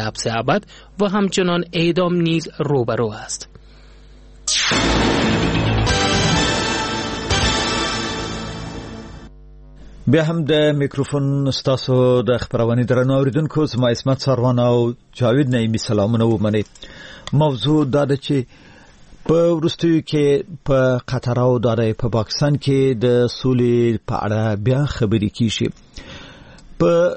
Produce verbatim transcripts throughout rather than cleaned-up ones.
حبس ابد و همچنان اعدام نیز روبرو است. بیا هم د میکروفون ستاسو د خپرونې درنو اوریدونکو، زما عصمت څاروان او جاوید نعیمي سلامونه ومنئ. موضوع دا ده چې په وروستیو کې په قطر او داره په پاکستان کې د سولې په اړه بیا خبرې کیږي. په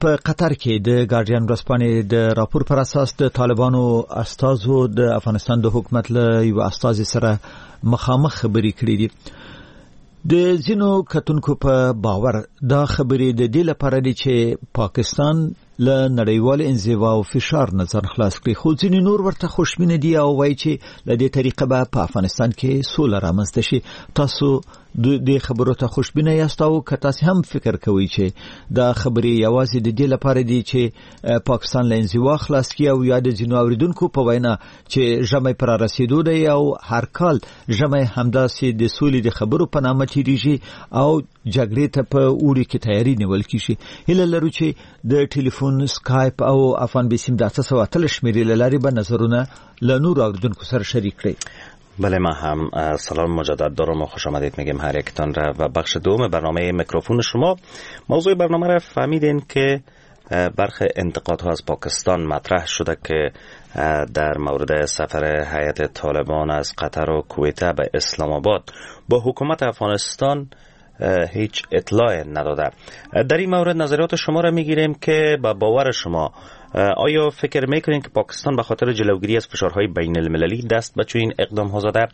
په قطر کې د ګارډین ورځپاڼې د راپور پر اساس د طالبانو استازو د افغانستان د حکومت له یو استازي سره مخامخ خبرې کړې دي. د ځینو کتونکو په باور دا خبرې د دې لپاره دي چې پاکستان له نړیوال انزوا او فشار نه ځان خلاص کړي، خو ځینې نور ورته خوشبینه دي او وایي چې له دې طریقه به په افغانستان کې سوله رامنځته شي. تاسو د دې خبرو ته خوشبینه یاست او که تاسو هم فکر کوئ چې دا خبرې یوازې د دې لپاره دي چې پاکستان له انزوا خلاص کړي او یا د ځینو اوریدونکو په وینا چې ژمی پر رسېدو دی او هر کال ژمی همداسې د سولې د خبرو په نامه تېرېږي او جګړې ته په اوړي کې تیاری نیول کیږي. هیله لرو چې د ټلیفون، سکایپ او افغان بیسیم د اته سوه اتلس شمېرې له لارې به نظرونه له نورو اوریدونکو سره شریک کړئ. بله، ما هم سلام مجدد دارم و خوش آمدید میگیم هر یکتان را و بخش دوم برنامه میکروفون شما. موضوع برنامه را فهمیدین که برخی انتقادها از پاکستان مطرح شده که در مورد سفر هیئت طالبان از قطر و کویت به اسلام آباد با حکومت افغانستان هیچ اطلاع نداده. در این مورد نظریات شما را میگیریم که با باور شما آیا فکر میکنین که پاکستان به خاطر جلوگیری از فشارهای بین المللی دست به چنین اقدام ها زده؟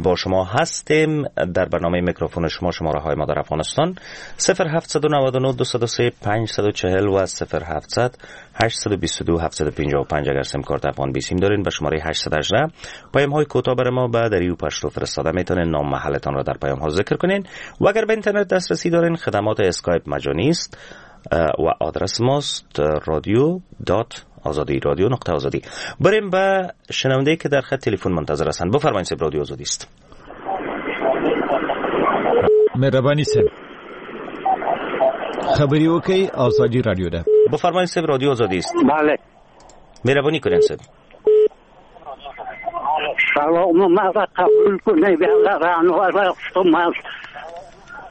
با شما هستیم در برنامه میکروفون شما. شماره های ما در افغانستان صفر هفت نه نه دو سه پنج چهار و صفر هفت هشت دو دو هفت پنج پنج. اگر سیم کارت افغان بیسیم دارین به شماره هشت هشت پیام های کوتاه بر ما به دری و پشتو فرستاده میتونین. نام محلتان را در پیام ها ذکر کنین و اگر به اینترنت دسترسی دارین خدمات اسکایپ مجانی است و آدرس ماست رادیو dot آزادی رادیو نقطه آزادی. بریم به شنونده که در خط تلفن منتظر هستند. بفرمایید صاحب، رادیو آزادی است. مهربانی صاحب، خبری وکړئ، آزادی رادیو ده. بفرمایید صاحب، رادیو آزادی است. بله، مهربانی کنین صاحب. سلام مرا قبول کنه و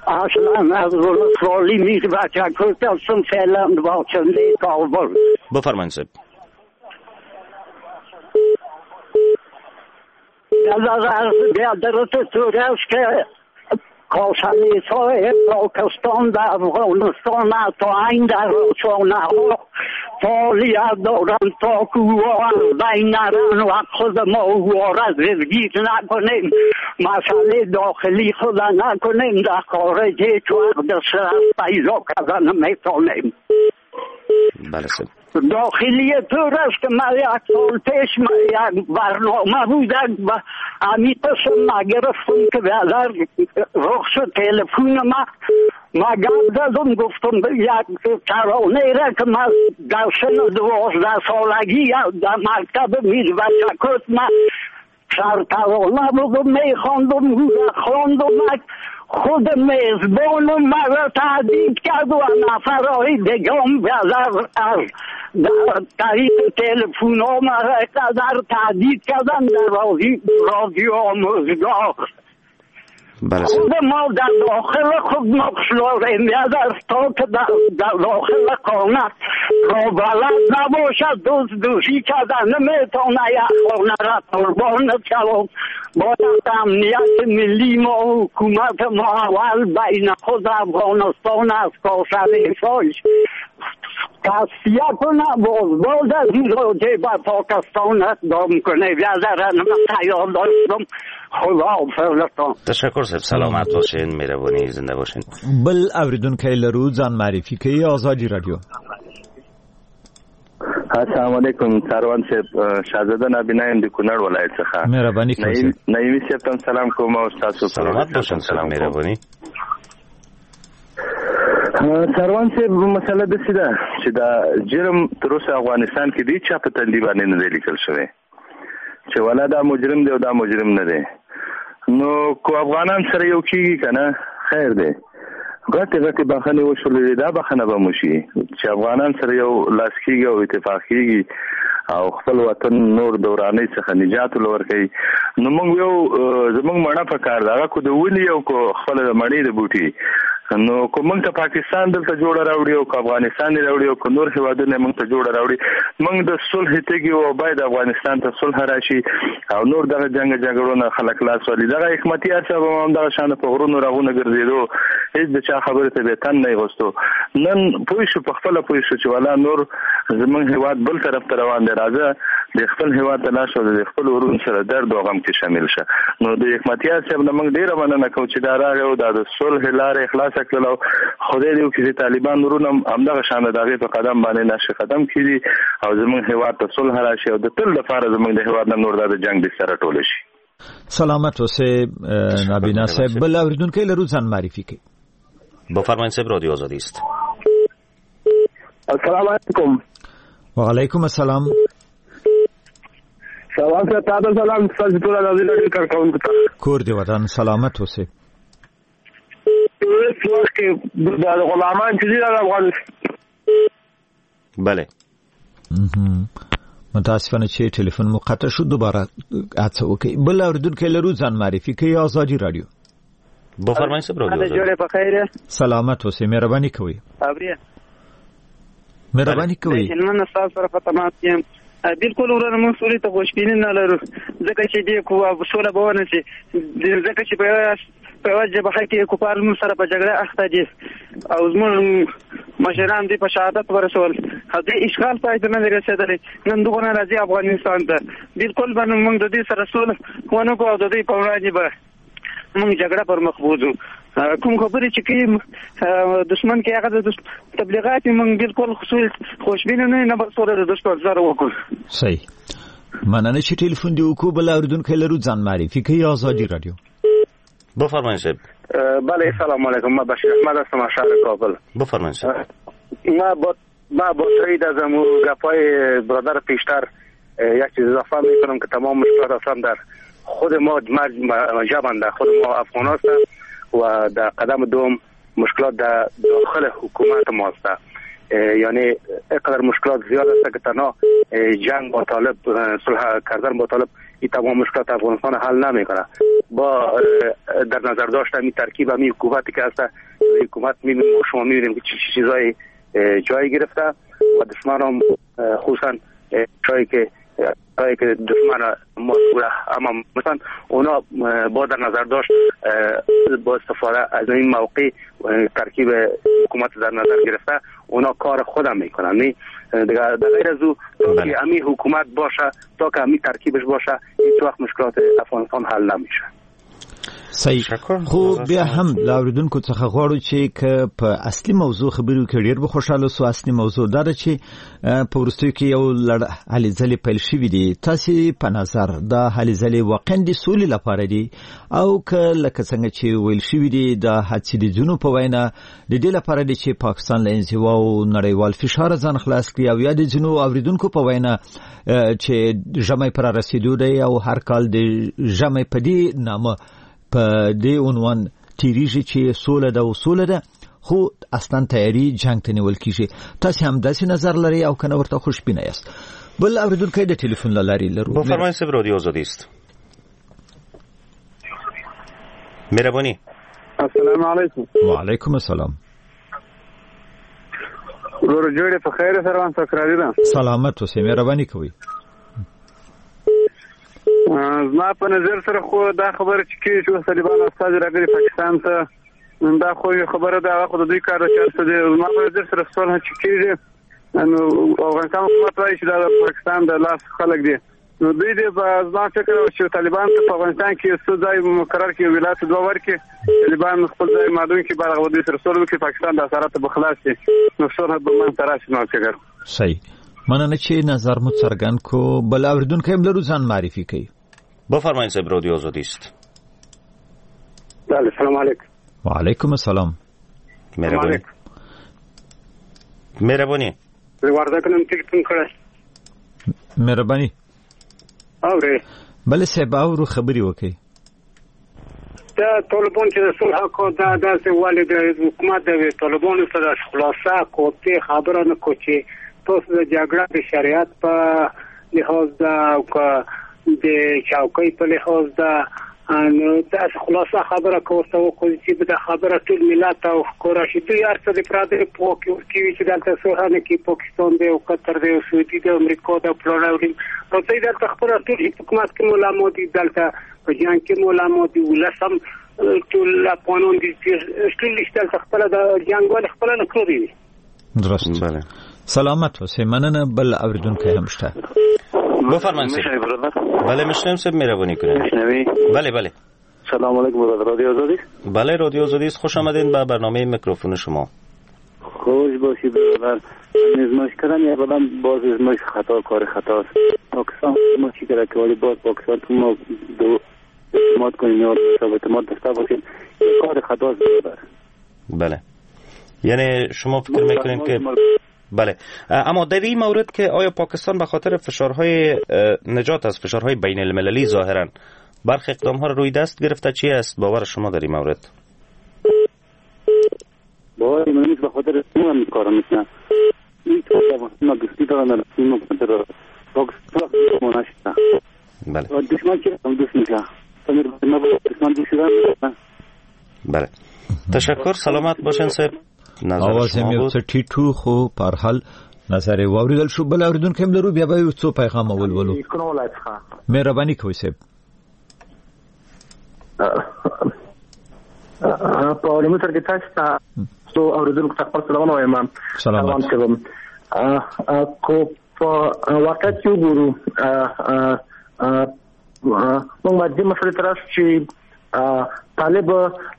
اصلا از ولسوالی میربچه هستم، فعلا باشنده کابل. بفرمایید صاحب. بیادرت طور است که کاسنیسای پاکستان در افغانستان تا این در رسانه ها فعالیت دارند تا که او از بین نرن و خود ما او را زرگیر نکنیم، مسئله داخلی خود نکنیم، در خارج هیچ وقت دسترس پیدا کردن نمیتونیم. بله داخلی طور است که من یک سال پیش یک برنامه بود و همی قسم ما گرفتم که بیادر رخص تلفون ما ما گپ زدم، گفتم یک ترانه را که من در سن دوازده سالگی در مکتب میربچکوت ما سرترانه بودم میخواندم، خواندم، خود میزبانم مرا تهدید کرد و نفرهای دیگه هم بیادر از در طریق تلفن ها مرا قدر تهدید کردن در رادیو آموزگاه. خود ما در داخل خود نقش داریم، بیادر تا که در داخل خانه را بلد نباشد دوست دوشی کردن نمیتونه یک خانه را قربان شود. باید امنیت ملی ما و حکومت ما اول بین خود افغانستان از کاسنیسایش تصفیه کنه، باز باز از این راجع به پاکستان اقدام کنه. بیادر من خیال داشتم. خدا حافظتان. تشکر صاحب، سلامت باشین، مهربانی، زنده باشین. بل اوریدونکی لرو ځان معرفي کوي، ازادي رادیو. السلام علیکم څاروان صاحب، شاهزاده نابینا یم د کونړ ولایت څخه. مهرباني کوئ. نعیمي صاحب ته سلام کوم او تاسو سلامت باشین. سلام، مهرباني. څاروان صاحب، مسله داسې ده چې دا جرم تر اوسه افغانستان کې دی چا په تندي باندې نه دی لیکل شوی چې ولا دا مجرم دی او دا مجرم نه دی. نو کو افغانان سره یو کیږي که نه خیر دی، غټې غټې بخښنې وشولې، دا بخښنه به مو شي چې افغانان سره یو لاس کېږي او اتفاق کېږي او خپل وطن نور د ورانۍ څخه نجات ورکوي. نو موږ یو زموږ مڼه په کار ده، هغه کو د ولي او کو خپل د مڼې د بوټي. نو کو موږ ته پاکستان دلته جوړه راوړي او کو افغانستان راوړي او کو نور هیوادونه موږ ته جوړه راوړي، موږ د صلح تږي او باید افغانستان ته صلح راشي او نور دغه جنګ جګړونه خلک لاس ولي. دغه حکمتیار صاحب هم دغه شان په غرونو راغونه ګرځېدو، هیڅ د چا خبرې ته به تن نه غوستو. نن پوه شو، په خپله پوه شو چې والا نور زموږ هیواد بل طرف ته روان دی، راځه د خپل هیواد ته لاړ شو، د خپل ورونو سره درد او غم کې شامل شه. نو د حکمتیار صاحب نه موږ ډېره مننه کوو چې دا راغی او دا د صلح لارې خلاصه کړله. او خدای دې وکړي چې طالبان ورونه هم همدغه شان د هغې په قدم باندې نقش قدم کړي او زموږ هیواد ته صلح راشي او د تل لپاره زموږ د هیواد نه نور دا د جنګ بستره ټوله شي. سلامت اوسې نابینا صاحب. بل اوریدونکی لرو، ځان معرفي کړئ. بفرمایید صاحب، رادیو آزادی است. السلام علیکم. وعلیکم السلام. سلام صاحب، تاته سلام، ستاسو ټول ازادي راډیو کارکوونکو ته. کور دې ودان، سلامت اوسې. هیڅ وخت کې د غلامان چې دي د افغانستان. بله متاسفانه چې ټلیفون مو قطع شو، دوباره هڅه وکړئ. بل اوریدونکی لرو، ځان معرفي کوي. ازادي راډیو. بفرمایید صاحب، رادیو آزادي. جوړې په خیر. سلامت اوسې، مهرباني کوئ. اوري مهرباني کوئ. نن ستاسو سره په تماس کې یم. بالکل ورونه، موږ سولې ته خوشبیني نه لرو، ځکه چې دې سوله به ونه شي، ځکه چې په یوه په یوه جبهه کې کفار موږ سره په جګړه اخته دي او زموږ مشران دوی په شهادت ورسول او دې اشغال پای ته نه دی رسېدلی. نن دغه راځي افغانستان ته، بالکل به موږ د دوی سره سوله ونه کړو او د دوی په وړاندې به موږ جګړه پر مخ بوځو. کوم خبرې چې کوي دښمن کې هغه د تبلیغات موږ بالکل خوشبینه نه نه به سوله د دښمن سره وکړو. صحیح، مننه چې ټلیفون دې وکړو. بل اوریدونکی لرو، ځان معرفي کوي. ازادي راډیو. بفرمایید صاحب. بله سلام علیکم، من بشیر احمد هستم از شهر کابل. بفرمایید صاحب. ما با ما با تایید از گپای برادر پیشتر یک چیز اضافه میکنم که تمام مشکلات اصلا در خود ما جبن در خود ما افغان هست و در قدم دوم مشکلات در داخل حکومت ما است. یعنی اینقدر مشکلات زیاد است که تنها جنگ با طالب، صلح کردن با طالب این تمام مشکلات افغانستان حل نمیکنه. با در نظر داشت این ترکیب همین حکومتی که هست، حکومت میبینیم شما میبینیم که چه چیزایی جای گرفته و دشمن هم خصوصا جایی که جایی که دشمن ما اما مثلا اونا با در نظر داشت با استفاده از این موقع ترکیب حکومت در نظر گرفته اونا کار خودم میکنن. نه دیگه در غیر از او تا که امی حکومت باشه، تا که امی ترکیبش باشه، هیچ وقت مشکلات افغانستان حل نمیشه. صحیح. خو بیا هم له اوریدونکو څخه غواړو چې که په اصلي موضوع خبرې وکړي ډېر به خوشحاله سو. اصلي موضوع دا ده چې په وروستیو کې یو لړ هلې ځلې پیل شوې دي. تاسې په نظر دا هلې ځلې واقعا د سولې لپاره دي او که لکه څنګه چې ویل شوي دي دا هڅې د ځینو په وینا د دې لپاره دي چې پاکستان له انزوا او نړیوال فشاره ځان خلاص کړي، او یا د ځینو اوریدونکو په وینا چې ژمی پر رسېدو دی او هر کال د ژمی په دې نامه په دې عنوان تیریږي چې سوله ده او سوله ده، خو اصلا تیاری جنگ ته نیول کیږي. تاسو هم داسې نظر لرئ او کنه ورته خوشبینه یاست؟ بل اوریدونکی د ټلیفون له لارې لرو. بفرمایید صاحب، رادیو آزادی است. مهربانی. السلام علیکم. وعلیکم السلام. ورور جوړ په خیر سره سکراری ده. سلامت اوسئ، مهرباني کوئ. زما په نظر سره خو دا خبره چې کېږي چې طالبان استازي راغلي پاکستان ته، دا خو یو خبره ده، هغه خو د دوی کار ده چې هر څه دی. زما په نظر سره سوله چې کېږي، نو افغانستان حکومت وایي چې دا د پاکستان د لاس خلک دي، نو دوی دې په زما فکر چې طالبان ته په افغانستان کې څه ځای مقرر کړي، ولایت دوه ورکړي، طالبان خپل ځای معلوم کړي، بعد هغه دوی سره سوله وکړي، پاکستان د اسارته به خلاص شي، نو سوله به منځته راشي. زما فکر. صحیح، مننه چې نظر مو څرګند کو. بل اوریدونکی هم لرو، ځان معرفي کوي. بفرمایید صاحب، رادیو آزادی است. بله سلام علیکم. وعلیکم السلام. مهربانی. مهربانی. ورده کنم تلفن کړی. مهربانی. اورې؟ بله صاحب اورو، خبرې وکړئ. د طالبان چې د صلح کو دا داسې ولې د حکومت د طالبانو سره خلاصه کوته خبره نه کو چې تاسو د جګړه د شریعت په لحاظ ده او که د چوکۍ په لحاظ ده، نو داسې خلاصه خبره که ورته وکړو چې دا خبره ټول ملت او ښکاره شي. دوی هر څه د پردي پوکي ورکوي چې دلته صلح نه کوي، پاکستان دی او قطر دی او سعودي دی او امریکا دی او فلانه او راځئ دلته خپله ټول حکومت کې علما دي، دلته په جنګ کې علما دي، ولس هم ټول افغانان دي، ټول دلته خپله د جنګ ولې خپله نه کړی وي. درست، بله. سلامت اوسئ، مننه. بل اوریدونکی هم شته. بفرمایید. بله میشنویم صاحب، مهربانی کنید. میشنوی؟ بله بله. سلام علیکم برادر، رادیو آزادی. بله رادیو آزادی است، خوش آمدین به برنامه میکروفون شما. خوش باشی برادر. نزماش کردن یا بلند باز ازماش خطا کار خطا است. پاکستان ما چی کرد که ولی باز پاکستان تو ما دو اعتماد کنیم یا اعتماد داشته باشیم، کار خطا است برادر. بله یعنی شما فکر میکنید که بله، اما در این مورد که آیا پاکستان به خاطر فشارهای نجات از فشارهای بین المللی ظاهرا برخی اقدامها را روی دست گرفته، چی است باور شما در این مورد؟ باور من نیست، به خاطر اون کار میکنه. این ما دوستی دارن در پاکستان مناشته. بله دشمن چه دوست میشه؟ دشمن دوست شدن. بله تشکر، سلامت باشین صاحب. آواز هم یو څه ټیټ و، خو په هر حال نظر یې واورېدل شو. بل اورېدونکی هم لرو، بیا به یو څو پیغام ولولو. مهرباني کوئ صاحب. په لومړي سر کې تاسو ته څو اورېدونکو ته خپل سلامونه وایم. سلامت کوم. کو په واقعیت کې وګورو، موږ باید دې مسئلې ته راشو چې طالب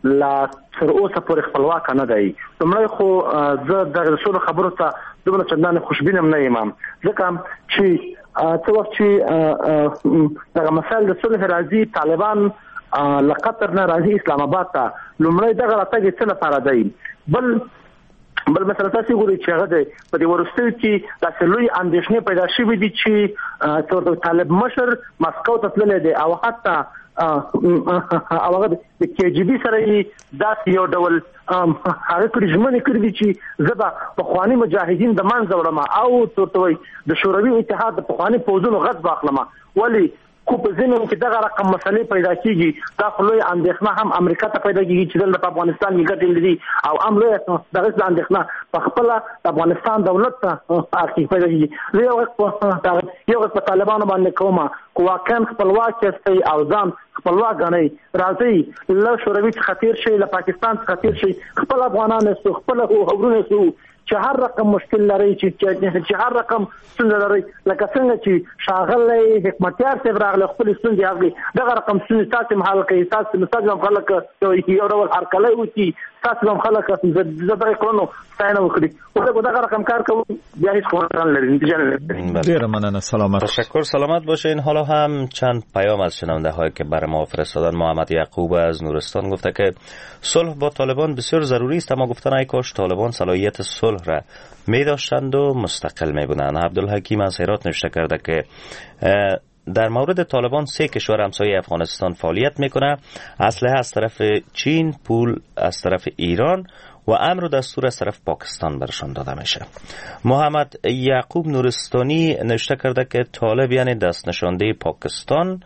لا تر اوسه پورې خپلواک نه دی. لومړی خو زه دغه سولې خبرو ته دومره چندانې خوشبین هم نه یم، ځکه چې څه وخت چې دغه مسایل د صلح راځي، طالبان له قطر نه راځي اسلام آباد ته، لومړی دغه راتګ یې څه لپاره دی؟ بل بل مثلا تاسو ګورئ چې هغه دی په دې وروستیو کې داسې لوی اندېښنې پیدا شوې دي چې طالب مشر مسکو ته تللی دی او حتی او هغه د کې جی بي سره یې داسې یو ډول هغه کړې ژمنې کړې دي چې زه به پخواني مجاهدین د منځه وړم او ورته وایي د شوروي اتحاد د پخواني پوځونو غچ به اخلم. ولې کو په ځینو کې دغه رقم مسلې پیدا کیږي، دا خو لوی اندېښنه هم امریکا ته پیدا کیږي چې دلته په افغانستان کې ګټې لري، او هم لوی دغه اندېښنه په خپله د افغانستان دولت ته پیدا کیږي. زه یو غږ یو غږ په طالبانو باندې کوم، که واقعا خپلواک یاستئ او ځان خپلواک ګڼئ، راځئ له شوروي څخه تېر شئ، له پاکستان څخه تېر شئ، خپل افغانان یاستو، خپل ورونه یاستو، چې هر رقم مشکل لرئ، چې چې هر رقم ستونزه لرئ، لکه څنګه چې ښاغلی حکمتیار صاحب راغلی خپلې ستونزې حل کړي، دغه رقم ستونزې تاسې هم حل کړئ، تاسې تاسې هم خلک یو ډول هرکلی وکړي، تاسې هم خلک د دغه کړنو ستاینه وکړي. خو دغه رقم کار کوو بیا هیڅ خبره نه لري، نتیجه نه لري. ډېره مننه، سلامت. تشکر، سلامت باشین. حالا هم چند پیام از شنونده هایی که بر ما فرستادن. محمد یعقوب از نورستان گفته که صلح با طالبان بسیار ضروری است، اما گفتن ای کاش طالبان صلاحیت صلح را می داشتند و مستقل می بودند. عبدالحکیم از هرات نوشته کرده که در مورد طالبان سه کشور همسایه افغانستان فعالیت میکنه، اسلحه از طرف چین، پول از طرف ایران و امر و دستور از طرف پاکستان برشان داده میشه. محمد یعقوب نورستانی نوشته کرده که طالب یعنی دست نشانده پاکستان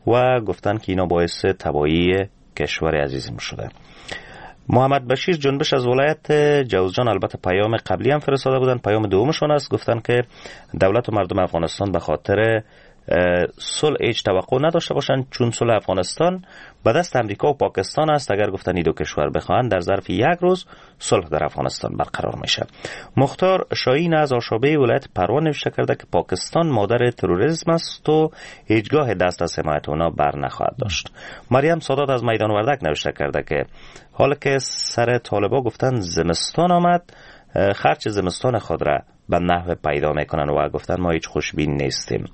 و گفتن که اینا باعث تباهی کشور عزیزم شده. محمد بشیر جنبش از ولایت جوزجان البته پیام قبلی هم فرستاده بودن، پیام دومشون است، گفتن که دولت و مردم افغانستان به خاطر صلح هیچ توقع نداشته باشند، چون صلح افغانستان به دست امریکا و پاکستان است. اگر گفتن این دو کشور بخواهند در ظرف یک روز صلح در افغانستان برقرار میشه. مختار شاهین از آشابه ولایت پروان نوشته کرده که پاکستان مادر تروریسم است و هیچگاه دست از حمایت اونا بر نخواهد داشت. مریم سادات از میدان وردک نوشته کرده که حالا که سر طالبا گفتن زمستان آمد، خرچ زمستان خود را به نحو پیدا میکنن و گفتن ما هیچ خوشبین نیستیم.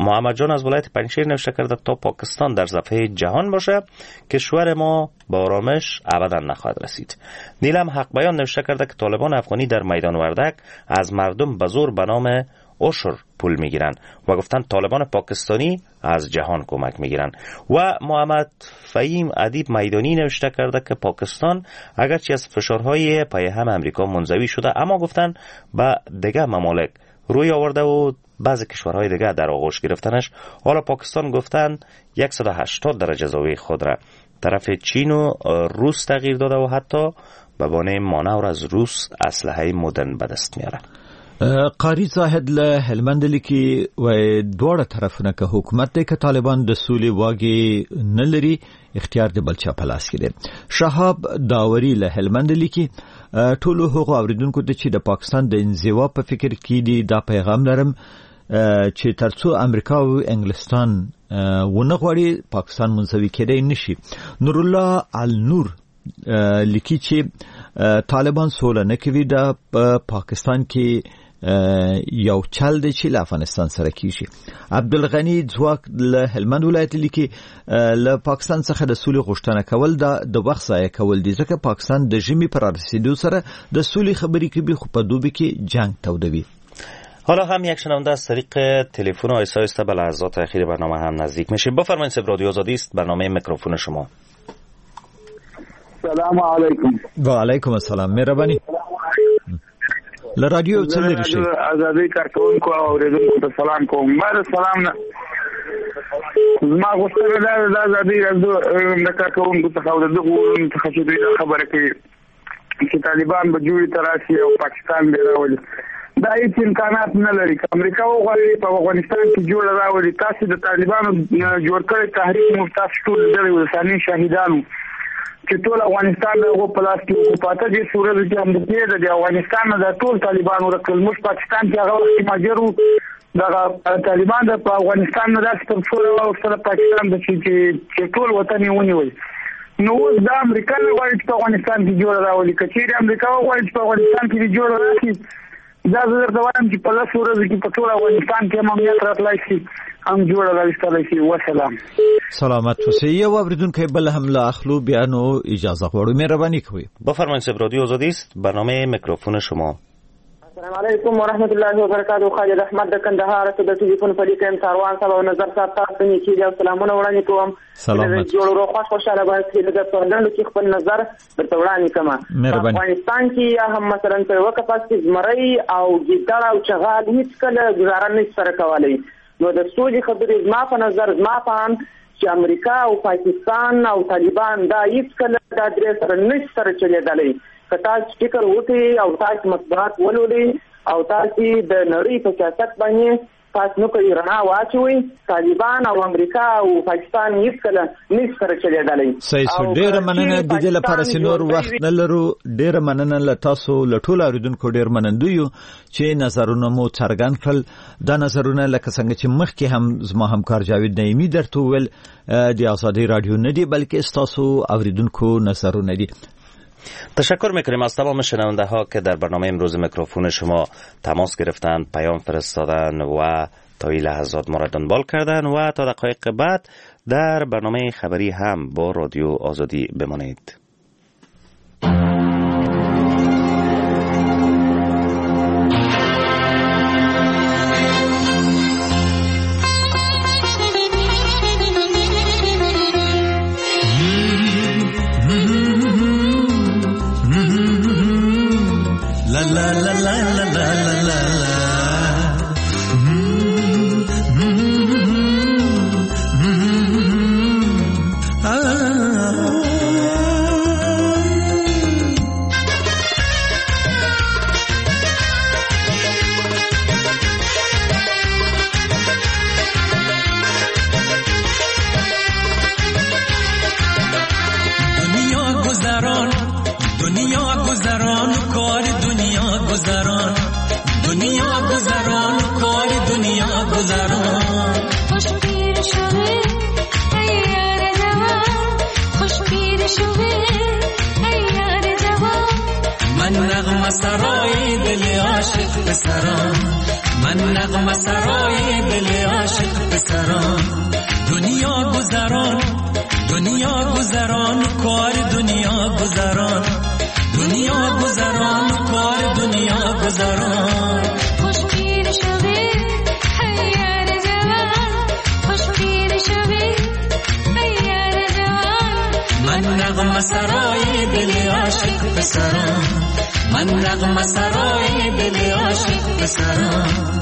محمد جان از ولایت پنجشیر نوشته کرده تا پاکستان در صفحه جهان باشه کشور ما با آرامش ابدا نخواهد رسید. نیلم حق بیان نوشته کرده که طالبان افغانی در میدان وردک از مردم به زور به نام عشر پول میگیرن و گفتن طالبان پاکستانی از جهان کمک میگیرن. و محمد فهیم ادیب میدانی نوشته کرده که پاکستان اگرچه از فشارهای پای هم امریکا منزوی شده، اما گفتن به دیگه ممالک روی آورده و بعضی کشورهای دیگه در آغوش گرفتنش. حالا پاکستان گفتن صد و هشتاد درجه زاویه خود را طرف چین و روس تغییر داده و حتی به بانه مانور از روس اسلحه مدرن به دست میاره. قاری زاهد له هلمند لیکي وایي دواړه طرفونه که حکومت دی که طالبان د سولې واګې نه لري، اختیار د بل چا په لاس کې دی. شهاب داوري له هلمند لیکي ټولو هغو اوریدونکو ته چې د پاکستان د انزوا په فکر کې دي دا پیغام لرم چې ترڅو امریکا او انګلستان ونه غواړي پاکستان منزوي کېدای نشي. نورالله النور لیکي چې طالبان سوله نه کوي، دا په پاکستان کې یو چل دی چې له افغانستان سره کیږي. عبدالغني ځواک له هلمند ولایت لیکي له پاکستان څخه د سولې غوښتنه کول دا د وخت ضایع کول دي، ځکه پاکستان د ژمي پر رسېدو سره د سولې خبرې کوي خو په دوبي کې جنگ تودوي. حالا هم یک شنونده از طریق تلفن آیسا آیسته به لحظات اخیر برنامه هم نزدیک میشه. بفرمایید صاحب، رادیو آزادی است، برنامه میکروفون شما. سلام علیکم. و علیکم السلام. مهرباني له رادیو څه لري شي ازادي کارکوونکو او اورېدونکو ته سلام کوم. ما د سلام نه زما غوښتنه دا ده د ازادي راډیو د کارکوونکو څخه او د دغو وروڼو څخه چې دوی دا خبره کوي چې طالبان به جوړې ته راشي او پاکستان به راولي، دا هیڅ امکانات نه لري. که امریکا وغواړي په افغانستان کې جوړه راولي، تاسې د طالبانو جوړ کړی تحریک موږ تاسو ټول لیدلی و، ثاني شهیدانو چې ټول افغانستان د هغو په لاس کې وو. په اته دېرش ورځو کې امریکې د افغانستان نه دا ټول طالبان ورک کړل. موږ پاکستان کې هغه وخت کې مهاجر وو، دغه طالبان د په افغانستان نه داسې تر ټولو واوښتل پاکستان ته چې ټول وطن یې ونیول. نو اوس دا امریکا نه غواړي چې په افغانستان کې جوړه راولي. که چېرې امریکا وغواړي چې په افغانستان کې جوړه راشي، دا زه درته وایم چې په لسو ورځو کې په ټول افغانستان کې هم امنیت راتلای شي، هم جوړه راوستلی شي. وسلام. سلامت اوسئ. یو اوریدونکی بل هم له اخلو، بیا نو اجازه غواړو، مهرباني کوئ. بفرمایید صاحب، رادیو آزادی است، برنامه میکروفون شما. السلام علیکم ورحمت الله وبرکاته. خالد احمد د کندهار څخه د ټلیفون په لیکه یم. څاروان صاحب او نظر صاحب تاسو ته نیکي او سلامونه وړاندې کوم. سلامت جوړ ورو خوښ خوشاله باید د په لنډو کې خپل نظر درته وړاندې کړم. په افغانستان کې یا هم مثلا په یوه قفس کې زمری او ګیدړ او چغال هیڅکله ګزاره نه سره کولی. نو د سولې خبرې زما په نظر، زما په اند چې امریکا او پاکستان او طالبان دا هیڅکله دا درې سره نه سره چلېدلی. که تاسو فکر وکړئ او تاسو مطبوعات ولولئ او تاسو د نړۍ په سیاست باندې تاسو نو کوي رڼا واچوئ، طالبان او امریکا او پاکستان هیڅکله نه سره چلېدلی. صحیح سو، ډېره مننه. د دې لپاره چې نور وخت نه لرو، ډېره مننه له تاسو له ټولو اورېدونکو، ډېر منندوی یو چې نظرونه مو څرګند کړل. دا نظرونه لکه څنګه چې مخکې هم زما همکار جاوید نعیمي درته وویل، د ازادي راډیو نه دي بلکې ستاسو اورېدونکو نظرونه دي. تشکر میکنیم از تمام شنونده ها که در برنامه امروز میکروفون شما تماس گرفتند، پیام فرستادن و تا این لحظات ما را دنبال کردن و تا دقایق بعد در برنامه خبری هم با رادیو آزادی بمانید. La la la la la la la la. دنیا گذران، دنیا گذران، کار دنیا گذران، دنیا گذران، کار دنیا گذران. خوش پیر شوه ای یار جوان، خوش پیر شوه ای یار جوان. من نغمه سرای دل عاشق پسران، من نغمه سرای دل عاشق پسران. دنیا گذران، دنیا گذران، کار دنیا گذران، دنیا گذران، کار دنیا گذران. خوش پیر شوه سرای دل عاشق پسرم، من نغمه سرای دل عاشق پسرم.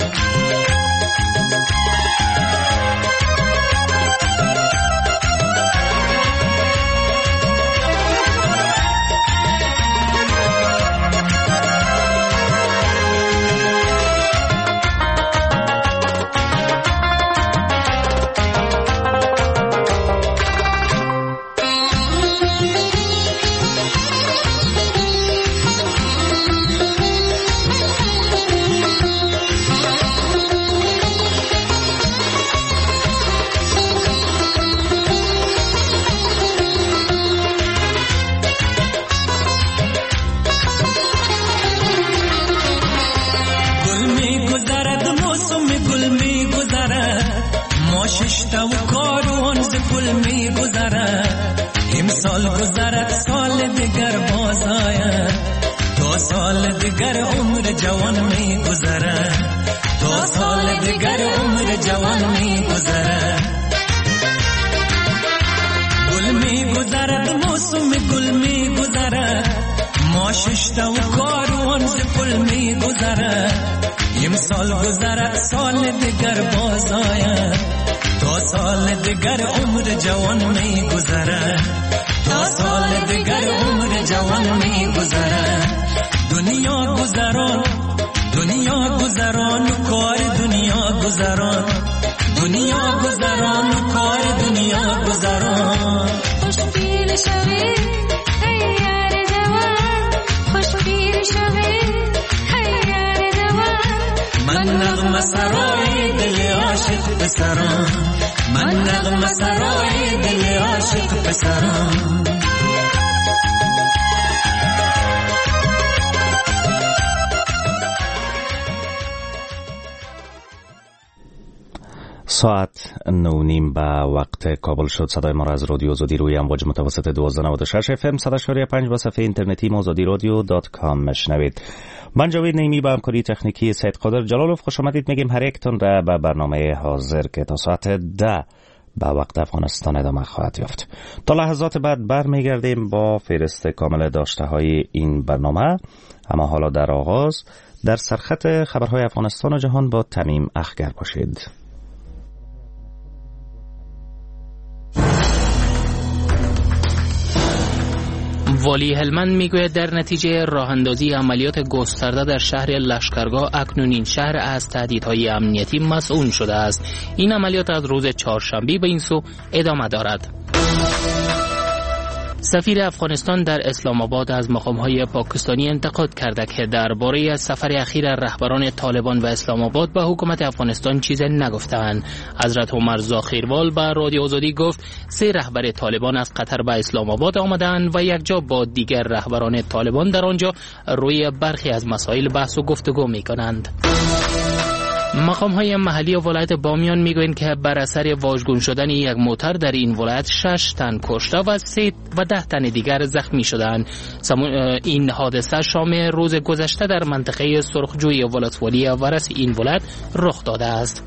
ساعت نه نیم به وقت کابل شد. صدای ما را از رادیو آزادی روی امواج متوسط دوازده نود و شش اف ام صد و پنج و صفحه اینترنتی آزادی رادیو dot com مشنوید. من جاوید نعیمی با همکاری تکنیکی سید قادر جلالوف خوش آمدید میگیم هر یکتون را به برنامه حاضر که تا ساعت ده به وقت افغانستان ادامه خواهد یافت. تا لحظات بعد برمیگردیم با فهرست کامل داشته های این برنامه، اما حالا در آغاز در سرخط خبرهای افغانستان و جهان با تمیم اخگر باشید. والی هلمند میگوید در نتیجه راه اندازی عملیات گسترده در شهر لشکرگاه اکنون این شهر از تهدیدهای امنیتی مسئول شده است. این عملیات از روز چهارشنبه به این سو ادامه دارد. سفیر افغانستان در اسلام آباد از مقام‌های پاکستانی انتقاد کرده که درباره سفر اخیر رهبران طالبان و اسلام آباد به حکومت افغانستان چیز نگفتند. حضرت عمر زاخیروال به رادیو آزادی گفت سه رهبر طالبان از قطر به اسلام آباد آمدند و یکجا با دیگر رهبران طالبان در آنجا روی برخی از مسائل بحث و گفتگو می‌کنند. مقام های محلی ولایت بامیان میگویند که بر اثر واژگون شدن یک موتر در این ولایت شش تن کشته و سه و ده تن دیگر زخمی شدند. این حادثه شام روز گذشته در منطقه سرخجوی ولسوالی ورس این ولایت رخ داده است.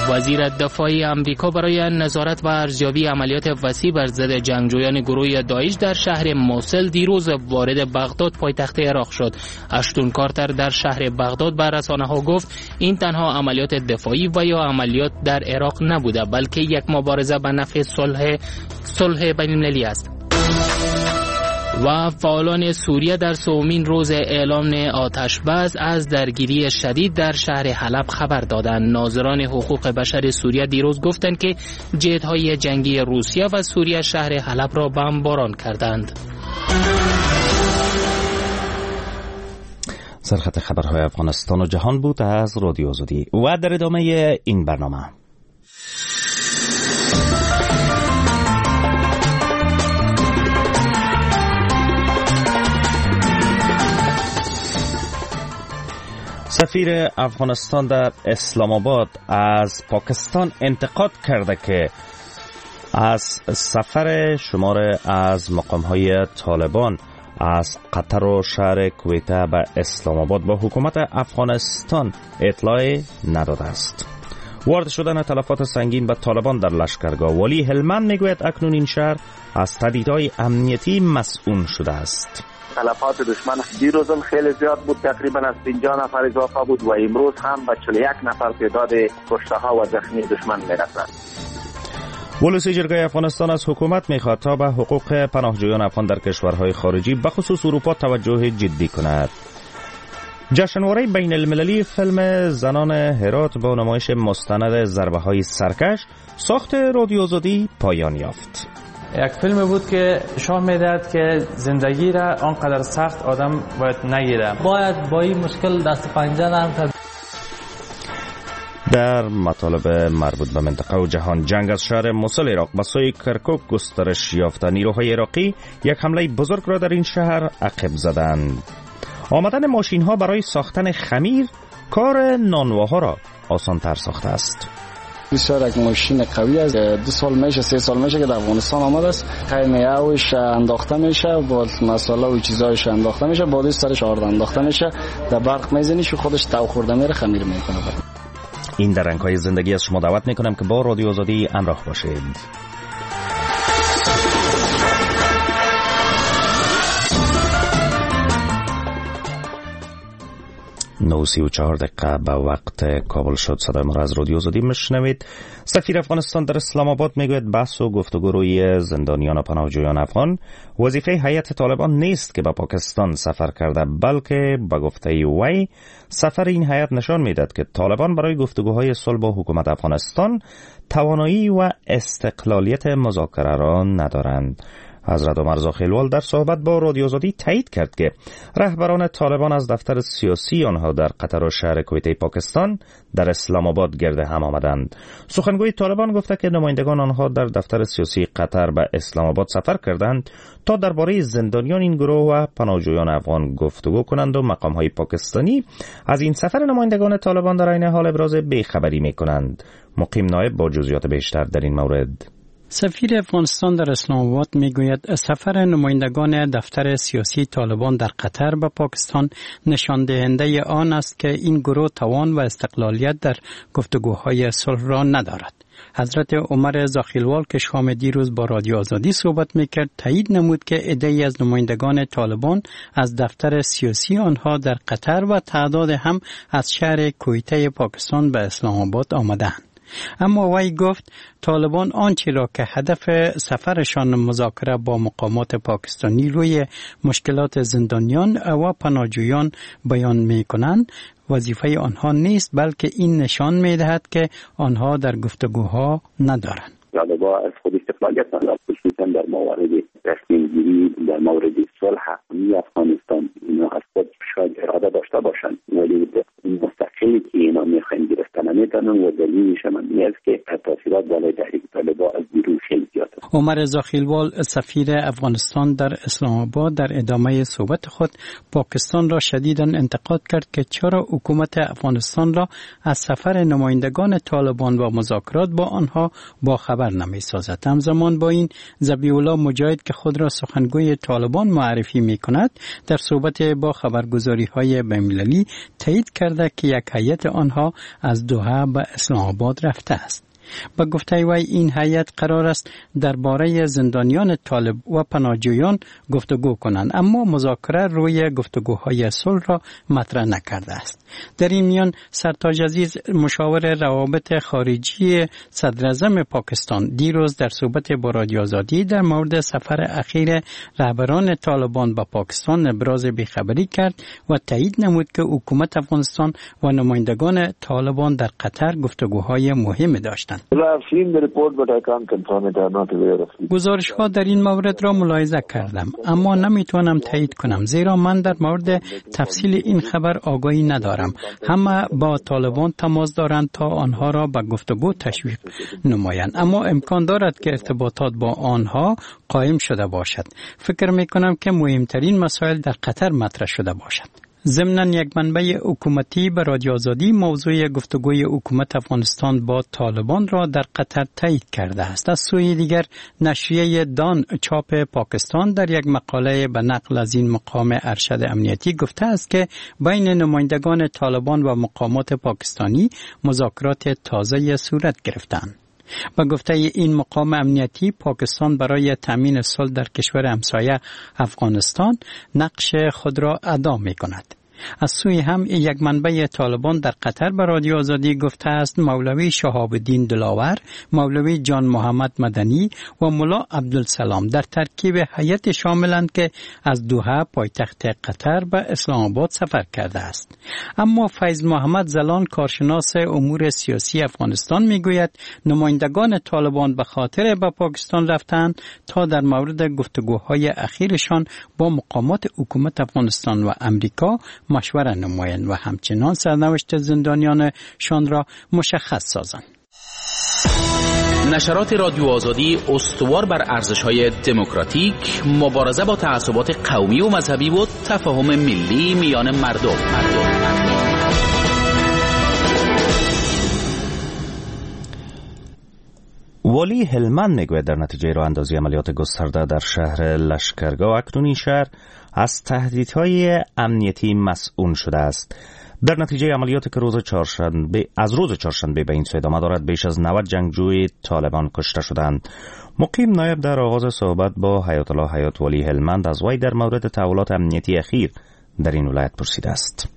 وزیر دفاع آمریکا برای نظارت و ارزیابی عملیات وسیع بر ضد جنگجویان گروه داعش در شهر موصل دیروز وارد بغداد پایتخت عراق شد. اشتون کارتر در شهر بغداد به رسانه‌ها گفت این تنها عملیات دفاعی و یا عملیات در عراق نبوده، بلکه یک مبارزه به نفع صلح صلح بین‌المللی است. و فعالان سوریه در سومین روز اعلام آتش بس از درگیری شدید در شهر حلب خبر دادند. ناظران حقوق بشر سوریه دیروز گفتند که جت‌های جنگی روسیه و سوریه شهر حلب را بمباران کردند. سرخط خبرهای افغانستان و جهان بود از رادیو آزادی و در ادامه این برنامه سفیر افغانستان در اسلام آباد از پاکستان انتقاد کرده که از سفر شمار از مقام‌های طالبان از قطر و شهر کویته به اسلام آباد با حکومت افغانستان اطلاع نداده است. وارد شدن تلفات سنگین به طالبان در لشکرگاه. والی هلمند میگوید اکنون این شهر از تهدیدهای امنیتی مسئول شده است. تلفات دشمن دیروز خیلی زیاد بود، تقریبا از پنجاه نفر اضافه بود و امروز هم به چهل و یک نفر تعداد کشته ها و زخمی دشمن میرسد. ولسی جرگه افغانستان از حکومت میخواد تا به حقوق پناهجویان افغان در کشورهای خارجی به خصوص اروپا توجه جدی کند. جشنواره بین المللی فیلم زنان هرات با نمایش مستند ضربه های سرکش ساخت رادیو آزادی پایان یافت. یک فیلم بود که شاه میدهد که زندگی را آنقدر سخت آدم باید نگیره، باید با این مشکل دست پنجه نرم کرد. در مطالب مربوط به منطقه و جهان، جنگ از شهر موصل عراق به سوی کرکوک گسترش یافته. نیروهای عراقی یک حمله بزرگ را در این شهر عقب زدند. آمدن ماشین ها برای ساختن خمیر کار نانواها را آسانتر ساخته است. بسیار یک ماشین قوی است، دو سال میشه سه سال میشه که در افغانستان آمده است. خیمه اوش انداخته میشه، با مساله و چیزایش انداخته میشه، بعدش سرش آرد انداخته میشه، در برق میزنیش خودش تو خورده میره، خمیر میکنه. این در رنگ‌های زندگی از شما دعوت میکنم که با رادیو آزادی همراه باشید. نه سی و چهار دقیقه به وقت کابل شد. صدای ما را از رادیو آزادی میشنوید. سفیر افغانستان در اسلام آباد میگوید بحث و گفتگو روی زندانیان و پناهجویان افغان وظیفه هیئت طالبان نیست که به پاکستان سفر کرده، بلکه به گفته وی سفر این هیئت نشان میدهد که طالبان برای گفتگوهای صلح با حکومت افغانستان توانایی و استقلالیت مذاکره را ندارند. حضرت عمر زاخیلوال در صحبت با رادیو آزادی تایید کرد که رهبران طالبان از دفتر سیاسی آنها در قطر و شهر کویته پاکستان در اسلام آباد گرد هم آمدند. سخنگوی طالبان گفته که نمایندگان آنها در دفتر سیاسی قطر به اسلام آباد سفر کردند تا درباره زندانیان این گروه و پناهجویان افغان گفتگو کنند و مقام‌های پاکستانی از این سفر نمایندگان طالبان در عین حال ابراز بی‌خبری می‌کنند. مقیم نایب با جزئیات بیشتر در این مورد. سفیر افغانستان در اسلام آباد میگوید سفر نمایندگان دفتر سیاسی طالبان در قطر به پاکستان نشان دهنده آن است که این گروه توان و استقلالیت در گفتگوهای صلح را ندارد. حضرت عمر زاخیلوال که شام دیروز با رادیو آزادی صحبت میکرد تایید نمود که عده‌ای از نمایندگان طالبان از دفتر سیاسی آنها در قطر و تعداد هم از شهر کویته پاکستان به اسلام آباد آمدند. اما وی گفت طالبان آنچه را که هدف سفرشان مذاکره با مقامات پاکستانی روی مشکلات زندانیان و پناهجویان بیان می کنند وظیفه آنها نیست، بلکه این نشان می دهد که آنها در گفتگوها ندارند. طالبان از خود استقلالیت ندارند، خصوصا در موارد تصمیم گیری در مورد صلح افغانستان. اینا از خود شاید اراده داشته باشند ولی مستقلی که اینا میخواین گرفتن نمیتونن و دلیلش هم این است که تاثیرات بالای تحریک طالبان از بیرون خیلی زیاد است. عمر زاخیلوال سفیر افغانستان در اسلام آباد در ادامه صحبت خود پاکستان را شدیداً انتقاد کرد که چرا حکومت افغانستان را از سفر نمایندگان طالبان و مذاکرات با آنها با خبر نمیسازد. همزمان با این ذبیح الله مجاهد که خود را سخنگوی طالبان معرفی می کند در صحبت با خبرگزاری های بین‌المللی تایید کرده که یک هیئت آنها از دوحه به اسلام آباد رفته است. به گفته وی این هیئت قرار است درباره زندانیان طالب و پناهجویان گفتگو کنند، اما مذاکره روی گفتگوهای صلح را مطرح نکرده است. در این میان سرتاج عزیز مشاور روابط خارجی صدراعظم پاکستان دیروز در صحبت با رادیو آزادی در مورد سفر اخیر رهبران طالبان به پاکستان ابراز بیخبری کرد و تایید نمود که حکومت افغانستان و نمایندگان طالبان در قطر گفتگوهای مهم داشتند. گزارش ها در این مورد را ملاحظه کردم، اما نمیتوانم تایید کنم زیرا من در مورد تفصیل این خبر آگاهی ندارم. همه با طالبان تماس دارند تا آنها را به گفتگو تشویق نمایند، اما امکان دارد که ارتباطات با آنها قائم شده باشد. فکر می کنم که مهمترین مسائل در قطر مطرح شده باشد. ضمناً یک منبع حکومتی به رادیو آزادی موضوع گفتگوی حکومت افغانستان با طالبان را در قطر تایید کرده است. از سوی دیگر نشریه دان چاپ پاکستان در یک مقاله به نقل از این مقام ارشد امنیتی گفته است که بین نمایندگان طالبان و مقامات پاکستانی مذاکرات تازه صورت گرفتند. با گفته این مقام امنیتی، پاکستان برای تامین صلح در کشور همسایه افغانستان نقش خود را ادا می کند. از سوی هم یک منبع طالبان در قطر به رادیو آزادی گفته است مولوی شهاب الدین دلاور، مولوی جان محمد مدنی و ملا عبدالسلام در ترکیب هیئت شاملند که از دوحه پایتخت قطر به اسلام آباد سفر کرده است. اما فیض محمد زلان، کارشناس امور سیاسی افغانستان، میگوید نمایندگان طالبان به خاطر به پاکستان رفتند تا در مورد گفتگوهای اخیرشان با مقامات حکومت افغانستان و امریکا مشوره نمایند و همچنان سرنوشت زندانیانشان را مشخص سازند. نشرات رادیو آزادی استوار بر ارزش‌های دموکراتیک، مبارزه با تعصبات قومی و مذهبی و تفاهم ملی میان مردم. والی هلمند میگوید در نتیجه راه اندازی عملیات گسترده در شهر لشکرگاه، اکنون این شهر از تهدیدهای امنیتی مسئول شده است. در نتیجه عملیات که روز چهارشنبه از روز چهارشنبه به این سو ادامه دارد، بیش از نود جنگجوی طالبان کشته شدند. مقیم نایب در آغاز صحبت با حیات الله حیات، والی هلمند، از وی در مورد تحولات امنیتی اخیر در این ولایت پرسیده است.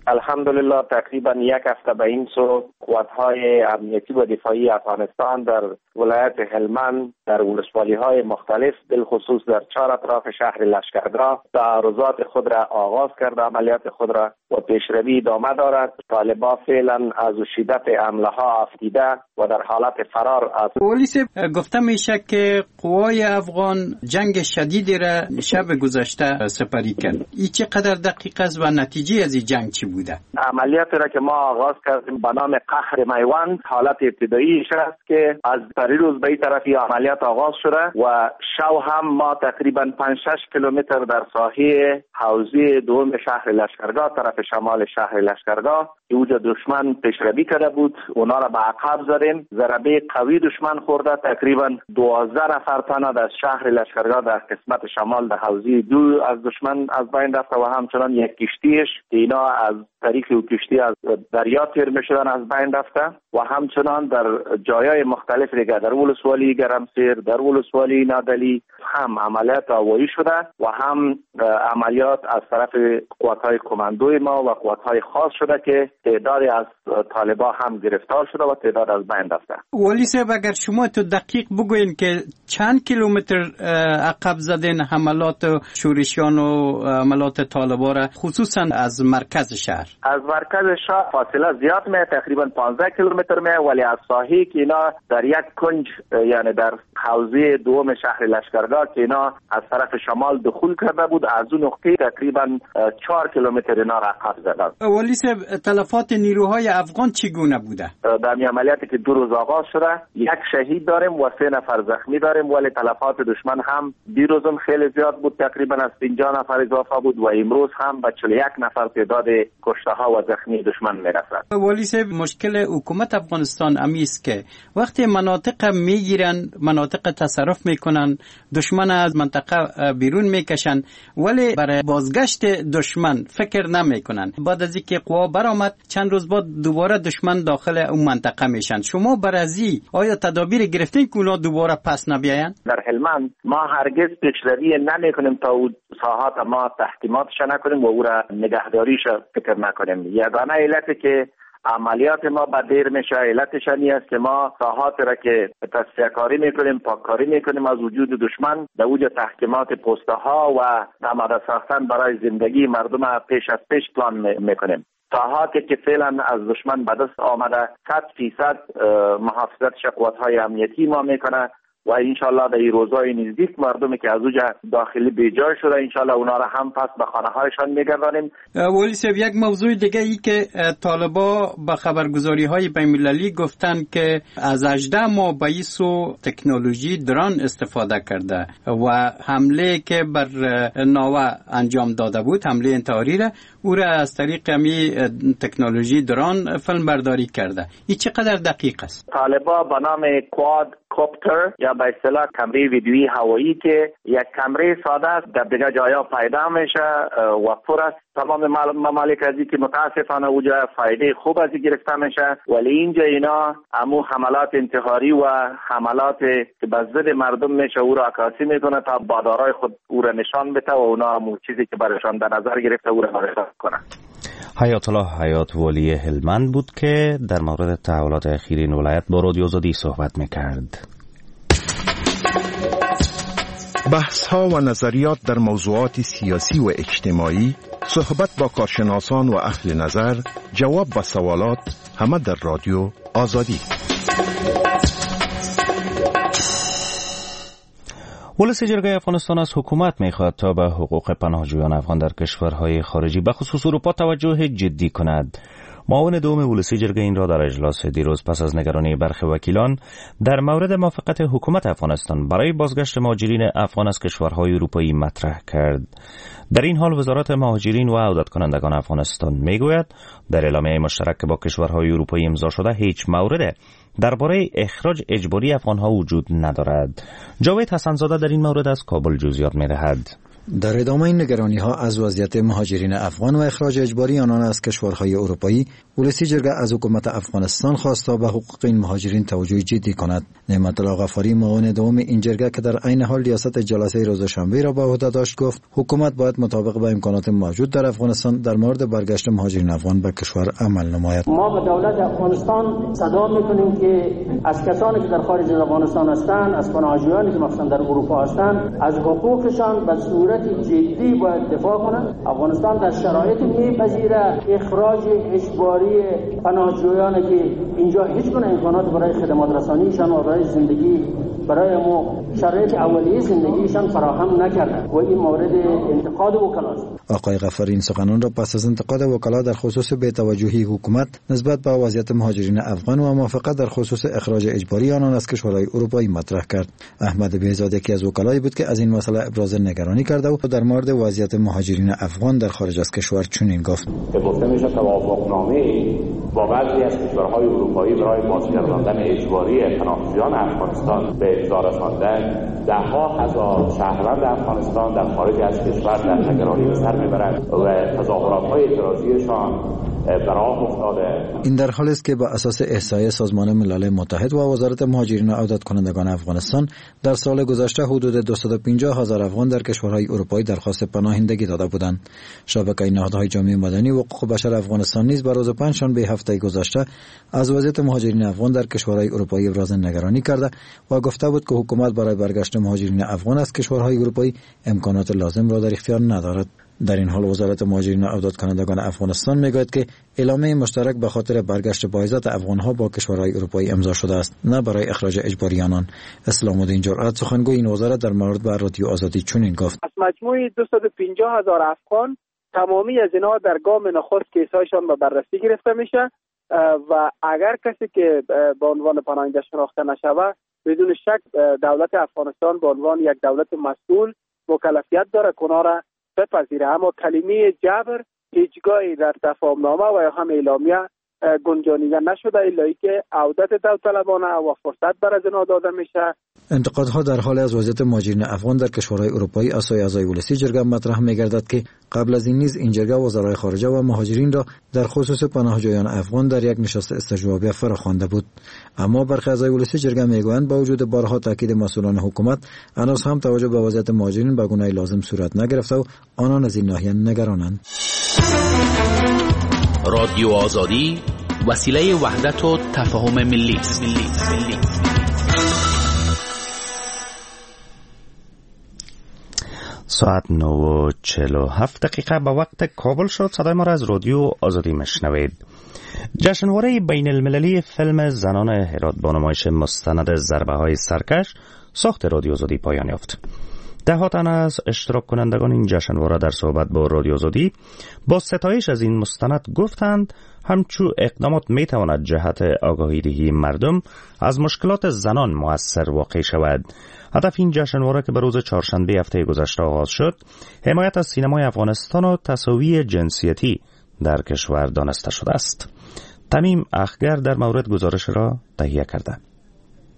الحمدلله تقریبا یک هفته به این سو قوت‌های امنیتی و دفاعی افغانستان در ولایت هلمند در ولسوالی‌های مختلف بالخصوص در چهار اطراف شهر لشکرگاه تعارضات خود را آغاز کرده، عملیات خود را و پیشروی ادامه دارد. طالبان فعلا از شدت حمله ها افتیده و در حالت فرار از پلیس. گفته میشه که قوای افغان جنگ شدیدی را شب گذشته سپری کرد. این چقدر دقیق است و نتیجه از این جنگ چی بوده؟ عملیاتی را که ما آغاز کردیم به نام قهر میوند، حالت ابتداییش است که از پریروز به این طرف عملیات آغاز شده و شو هم ما تقریبا پنج شش کیلومتر در ساحه حوزه دوم شهر لشکرگاه، طرف شمال شهر لشکرگاه که اوجا دشمن پیشروی کرده بود، اونا را به عقب زدیم. ضربه قوی دشمن خورده، تقریبا دوازده نفر تن در شهر لشکرگاه در قسمت شمال در حوزه دو از دشمن از بین رفته و همچنان یک کشتیش که اینا از طریق و کشتی از دریا تیر میشدن از بین رفته و همچنان در جایای مختلف دیگه در ولسوالی گرمسیر، در ولسوالی نادلی هم عملیات هوایی شده و هم عملیات از طرف قوت‌های کماندوی ما و قوت‌های خاص شده که تعدادی از طالبا هم گرفتار شده و تعداد از بین رفته. ولی صاحب اگر شما تو دقیق بگوین که چند کیلومتر عقب زدین حملات شورشیان و حملات طالبا را، خصوصا از مرکز شهر؟ از مرکز شهر فاصله زیاد می، تقریبا پانزده کیلومتر می، ولی از ساحه که اینا در یک کنج، یعنی در حوزه دوم شهر لشکرگاه که اینا از طرف شمال دخول کرده بود، از اون نقطه تقریبا چهار کیلومتر اینا را عقب زدن. ولی صاحب تلفات نیروهای افغان چگونه بوده؟ در این عملیاتی که دو روز آغاز شده یک شهید داریم و سه نفر زخمی داریم، ولی تلفات دشمن هم دیروزم خیلی زیاد بود، تقریبا از پنجاه نفر اضافه بود و امروز هم به چهل و یک نفر تعداد کشته ها و زخمی دشمن میرسد. ولی صاحب مشکل حکومت افغانستان امیست که وقتی مناطق میگیرن، مناطق تصرف میکنن، دشمن از منطقه بیرون میکشن، ولی برای بازگشت دشمن فکر نمیکنن. بعد از اینکه قوا برآمد چند روز بعد دوباره دشمن داخل اون منطقه میشن. شما برازی آیا تدابیر گرفتین که اونا دوباره پس نبیاین؟ در هلمند ما هرگز پیشروی نمیکنیم تا او ساحات ما تحکیماتش نکنیم و او را نگهداریش فکر نکنیم. یگانه علت که عملیات ما به دیر میشه علتش این است که ما ساحات را که تصفیه کاری میکنیم، پاککاری میکنیم از وجود دشمن، در اوج تحکیمات پسته ها و آماده ساختن برای زندگی مردم پیش از پیش پلان میکنیم. ساحاتی که فعلا از دشمن به دست آمده صد فیصد محافظت قوت‌های امنیتی ما میکنه و انشالله در این روزهای نزدیک مردمی که از اوجا داخلی بیجای شده انشالله اونا را هم پس به خانه هایشان میگردانیم. ولی صاحب، یک موضوع دیگه ای که طالبا به خبرگزاری های بین المللی گفتن که از هجده ماه به ایسو تکنولوژی دران استفاده کرده و حمله که بر ناوه انجام داده بود، حمله انتحاری را، او را از طریق می تکنولوژی دران فیلم برداری کرده. این چقدر دقیق است؟ طالبا به نام کواد کوپتر یا به اصطلاح کمره ویدیویی هوایی که یک کمره ساده است در دیگه جایا پیدا میشه و پر است تمام ممالک ازی که متاسفانه اوجا فایده خوب ازی گرفته میشه، ولی اینجا اینا امو حملات انتحاری و حملات که به ضد مردم میشه او را عکاسی میکنه تا بادارای خود او را نشان بده و اونا امو چیزی که برشان در نظر گرفته او را برشان کنه. حیات الله حیات والی هلمند بود که در مورد تحولات اخیر این ولایت با رادیو آزادی صحبت میکرد. بحث ها و نظریات در موضوعات سیاسی و اجتماعی، صحبت با کارشناسان و اهل نظر، جواب به سوالات، همه در رادیو آزادی. ولسی جرگه افغانستان از حکومت میخواهد تا به حقوق پناهجویان افغان در کشورهای خارجی به خصوص اروپا توجه جدی کند. معاون دوم ولسی جرگه این را در اجلاس دیروز پس از نگرانی برخی وکیلان در مورد موافقت حکومت افغانستان برای بازگشت مهاجرین افغان از کشورهای اروپایی مطرح کرد. در این حال وزارت مهاجرین و عودت کنندگان افغانستان میگوید در اعلامیه مشترک که با کشورهای اروپایی امضا شده هیچ مورد درباره اخراج اجباری افغانها وجود ندارد. جاوید حسن‌زاده در این مورد از کابل جزئیات می‌دهد. در ادامه این نگرانی ها از وضعیت مهاجرین افغان و اخراج اجباری آنان از کشورهای اروپایی، ولسی جرگه از حکومت افغانستان خواست تا به حقوق این مهاجرین توجه جدی کند. نعمت الله غفاری، معاون دوم این جرگه که در عین حال ریاست جلسه روز شنبه را به عهده داشت، گفت حکومت باید مطابق با امکانات موجود در افغانستان در مورد برگشت مهاجرین افغان به کشور عمل نماید. ما به دولت افغانستان صدا میکنیم که از کسانی که در خارج از افغانستان هستند، از پناهجویانی که مثلا در اروپا هستند، از حقوقشان به صورت جدی باید دفاع کنند. افغانستان در شرایط میپذیره اخراج اجباری پناهجویان که اینجا هیچ گونه امکانات برای خدمات رسانیشان و برای زندگی، برای ما شرایط اولیه زندگیشان فراهم نکرده و این مورد انتقاد وکلاست. آقای غفاری این سخنان را پس از انتقاد وکلا در خصوص بی‌توجهی حکومت نسبت به وضعیت مهاجرین افغان و موافقت در خصوص اخراج اجباری آنان از کشورهای اروپایی مطرح کرد. احمد بهزاد یکی از وکلایی بود که از این مسئله ابراز نگرانی کرده و در مورد وضعیت مهاجرین افغان در خارج از کشور چنین گفت: گفته میشه توافقنامه با بعضی از کشورهای اروپایی برای بازگرداندن اجباری پناهجویان افغانستان به امضا رساندن، ده ها هزار شهروند افغانستان در خارج از کشور در نگرانی به سر میبرند و تظاهرات‌های اعتراضیشان براه افتاده. این در حال است که به اساس احصایه سازمان ملل متحد و وزارت مهاجرین و عودت کنندگان افغانستان در سال گذشته حدود دویست و پنجاه هزار افغان در کشورهای اروپایی درخواست پناهندگی داده بودند. شبکه نهادهای جامعه مدنی و حقوق بشر افغانستان نیز به روز پنجشنبه هفته گذشته از وضعیت مهاجرین افغان در کشورهای اروپایی ابراز نگرانی کرده و گفته بود که حکومت برای برگشت مهاجرین افغان از کشورهای اروپایی امکانات لازم را در اختیار ندارد. در این حال وزارت مهاجرین و عودت کنندگان افغانستان میگوید که اعلامیه مشترک به خاطر برگشت باعزت افغانها با کشورهای اروپایی امضا شده است، نه برای اخراج اجباری آنان. اسلام الدین جرأت، سخنگوی این وزارت، در مورد به رادیو آزادی چنین گفت: از مجموع دویست و پنجاه هزار افغان تمامی از اینها در گام نخست کیسهایشان به بررسی گرفته میشه و اگر کسی که به عنوان پناهنده شناخته نشود، بدون شک دولت افغانستان به عنوان یک دولت مسئول مکلفیت داره که را بپذیره. اما کلمه جبر هیچگاهی در تفاهمنامه و یا هم اعلامیه گنجانیده نشده، الا که عودت داوطلبانه و فرصت بر از اینا داده میشه. انتقادها در حال از وضعیت مهاجرین افغان در کشورهای اروپایی از سوی اعضای ولسی جرگه مطرح میگردد که قبل از این نیز این جرگه وزرای خارجه و مهاجرین را در خصوص پناهجویان افغان در یک نشست استجوابیه فراخوانده بود. اما برخی اعضای ولسی جرگه میگویند با وجود بارها تاکید مسئولان حکومت هنوز هم توجه به وضعیت مهاجرین به گونه لازم صورت نگرفته و آنان از این ناحیه نگرانند. رادیو آزادی وسیله وحدت و تفاهم ملی است. ساعت نه و چهل و هفت دقیقه به وقت کابل شد. صدای ما را از رادیو آزادی مشنوید. جشنواره بین المللی فیلم زنان هرات با نمایش مستند ضربه های سرکش ساخت رادیو آزادی پایان یافت. ده ها تن از اشتراک کنندگان این جشنواره در صحبت با رادیو آزادی با ستایش از این مستند گفتند همچو اقدامات می تواند جهت آگاهی دهی مردم از مشکلات زنان مؤثر واقع شود. هدف این جشنواره که به روز چهارشنبه هفته گذشته آغاز شد، حمایت از سینمای افغانستان و تساوی جنسیتی در کشور دانسته شده است. تمیم اخگر در مورد گزارش را تهیه کرده.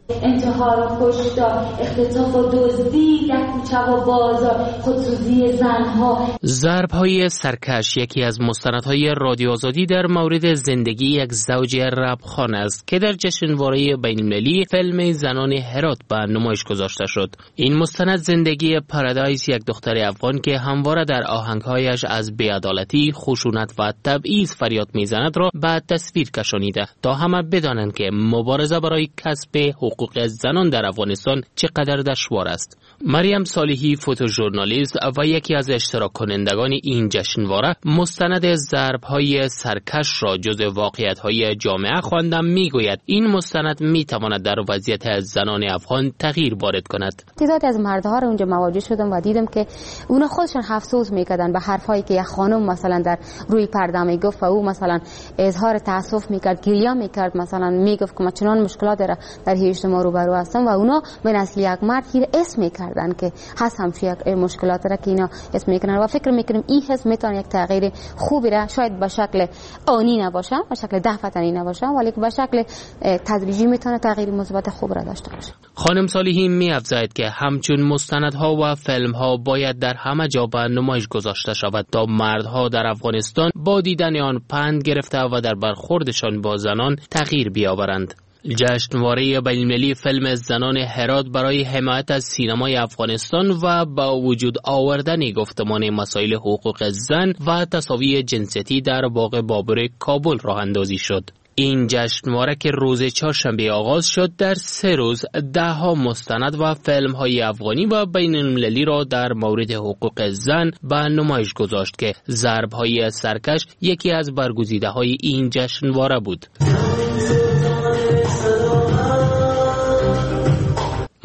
انتحار و کشتار، اختطاف و دزدی در کوچه و بازار، خودسوزی زنها. ضرب‌های سرکش یکی از مستندهای رادیو آزادی در مورد زندگی یک زوج ربخان است که در جشنواره بین‌المللی فیلم زنان هرات به نمایش گذاشته شد. این مستند زندگی پارادایس، یک دختر افغان که همواره در آهنگهایش از بی‌عدالتی، خشونت و تبعیض فریاد می‌زند را به تصویر کشانیده تا همه بدانند که مبارزه برای کسب حقوق زنان در افغانستان چقدر دشوار است. مریم صالحی، فوتوژورنالیست و یکی از اشتراک کنندگان این جشنواره، مستند ضرب‌های سرکش را جزء واقعیت‌های جامعه خوانده میگوید این مستند میتواند در وضعیت زنان افغان تغییر وارد کند. تعدادی از مردها رو اونجا مواجه شدم و دیدم که اونا خودشان افسوس میکردن به حرفایی که یک خانم مثلا در روی پرده میگفت و او مثلا اظهار تاسف میکرد، گریه میکرد، مثلا میگفت که ما چنان مشکلات در در اجتماع روبرو هستم و اونا به نسل یک مرد هیر اسم میکردن که هست همچون یک مشکلات را که اینا اسم میکنن و فکر میکنیم این حس میتونه یک تغییر خوبی را شاید به شکل آنی نباشه، به شکل دفعتنی نباشه، ولی به شکل تدریجی میتونه تغییر مثبت خوب را داشته باشه. خانم صالحی میافزاید که همچون مستندها و فیلمها باید در همه جا به نمایش گذاشته شود تا مردها در افغانستان با دیدن آن پند گرفته و در برخوردشان با زنان تغییر بیاورند. جشنواره بین‌المللی فیلم زنان هرات برای حمایت از سینمای افغانستان و با وجود آوردن گفتمان مسائل حقوق زن و تساوی جنسیتی در باغ بابر کابل راه اندازی شد. این جشنواره که روز چهارشنبه آغاز شد، در سه روز ده ها مستند و فیلم های افغانی و بین المللی را در مورد حقوق زن به نمایش گذاشت که ضرب های سرکش یکی از برگزیده های این جشنواره بود.